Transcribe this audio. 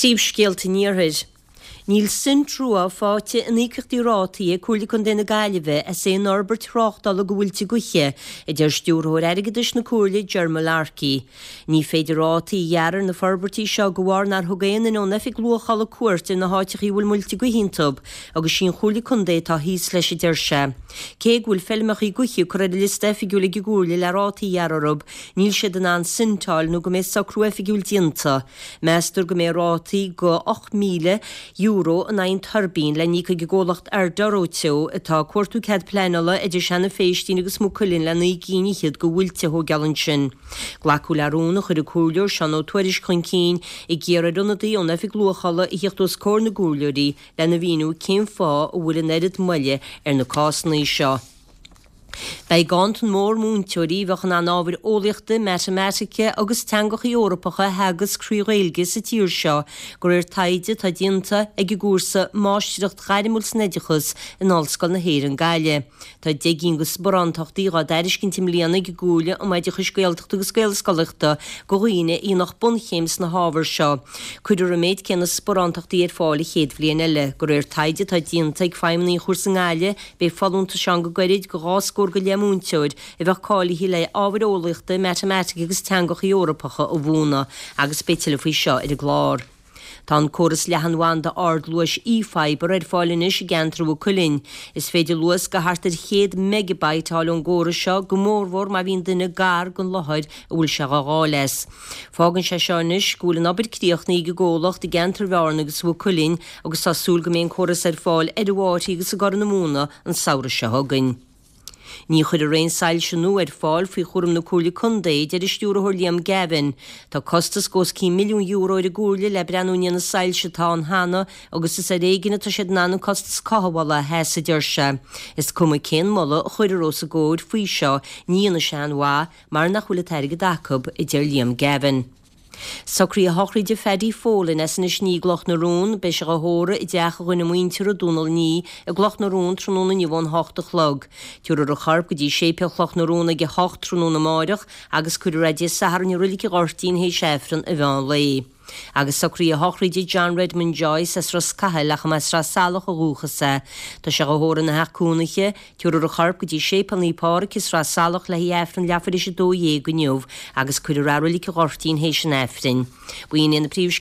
Príomhscéalta an Iarthair. Níl sint rua faighte in íocaíochtaí rátaí ag Comhairle Contae na Gaillimhe as aon fhorbairt thráchtála go mhuilte gaoithe, a deir Stiúrthóir Airgeadais na Comhairle Ger Mullarkey. Ní féidir rátaí a ghearradh ar na forbairtí seo de bharr nár thug aon duine ón Oifig Luachála cuairt ar na háiteachaí a bhfuil muilte gaoithe iontu agus sí an Chomhairle Contae atá thíos leis a deir sé. Cé go bhfuil feilmeachaí gaoithe curtha ar an liosta oifigiúil ag an gComhairle le rátaí a ghearradh orthu, níl siad in ann sint a fháil nó go mbeidh socrú oifigiúil déanta. Meastar go mbeidh rátaí go €8,000 in aghaidh an tuirbín le n-íoc ag an gcomhlacht Arduro Teo atá ag cuartú cead pleanála idir Seanadh Phéistín agus Maigh Cuilinn le 9 gcinn fhichead go mhuilte a thóigeáil ansin. Glacadh le rún a chuir an Comhairleoir Seán Ó Tuairisg chun cinn ag iarraidh ar ionadaí ón Oifig Luachála a thíocht os comhair na gcomhairleoirí lena mhíniú cén fáth a bhfuil an oiread moille ar na cásanna seo. Beidh ganntan mór múinteoirí a bheadh in ann ábhair eolaíochta, matamaitice agus teangacha Eorpacha a theagasc thrí Ghaeilge sa tír seo, de réir taighde atá déanta ag an gcúrsa Máistreacht Ghairmiúil san Oideachas in Ollscoil na hÉireann Gaillimh. Tá 10 gcinn de sparántachtaí dhá dtairiscint i mbliana ag an gComhairle um Oideachais Gaeltachta agus Gaelscolaíochta do dhaoine a dhéanfadh bunchéim sna hábhair seo. Cuirfear an méid céanna sparántachtaí ar fáil an chéad bhliain eile. De réir taighde atá déanta ag feidhmeannaigh an chúrsa i nGaillimh, Beidh folúntais ann go gairid go 2 scór go leith múinteoir a bheadh cáilithe le ábhair eolaíochta, matamaitice agus teangacha Eorpacha a mhúineadh agus beidh tuilleadh faoi seo ar an gclár. Tá an córas leathanbhanda ardluais eFibre ar fáil anois i gceantar Mhaigh Cuilinn. Is féidir luas go thart ar 100 megabyte a fháil ón gcóras seo, go mórmhór má bhíonn duine gar don láthair a bhfuil sé dhá fháil as. Fágann sé seo anois go bhfuil an obair críochnaithe ag an gcomhlacht i gceantar Bhearna agus Mhaigh Cuilinn agus tá súil go mbeidh an córas ar fáil ar an bhFáirche agus i gCorr na Móna an samhradh seo chugainn. Ní chuirfear aon soilse nua ar fáil faoi chúram na Comhairle Contae, a deir an Stiúrthóir Liam Gavin. Tá costas go os cionn €1 milliún ar an gComhairle le breathnú i ndiaidh na soilse atá ann cheana agus is ar éigin atá siad in ann an costas cothabhála a sheasamh, a deir sé. Is cuma cén moladh a chuirfear os a gcomhair faoi seo, ní dhéanfaidh sé aon mhaith mar nach bhfuil an t-airgead acu, a deir Liam Gavin. Socruithe sochraide Phaddy Folan as Inis Ní i gCloch na Rón. Beidh sé dhá thórramh i dteach a dhuine muinteartha, Dónal Ní, i gCloch na Rón tráthnóna inniu ón hocht a chlog. Tabharfar a chorp go dtí Séipéal Chloch na Rón ag a hocht tráthnóna amáireach agus cuirfear é Dé Sathairn i Roilig an Ghoirtín théis Aifreann an mheán lae. Agus socruithe sochraide John Redmond Joyce as Ros Cathail ach a mba as Sraith Salach ó dhúchas é. Tá sé dhá thórramh ina theach cónaithe. Tabharfar a chorp go dtí Séipéal Naomh Pádraig i Sraith Salach le haghaidh Aifreann leathuair théis 12 inniu agus cuirfear é i Roilig an Ghoirtín théis an Aifrinn. B'in iad na príomhscéalta.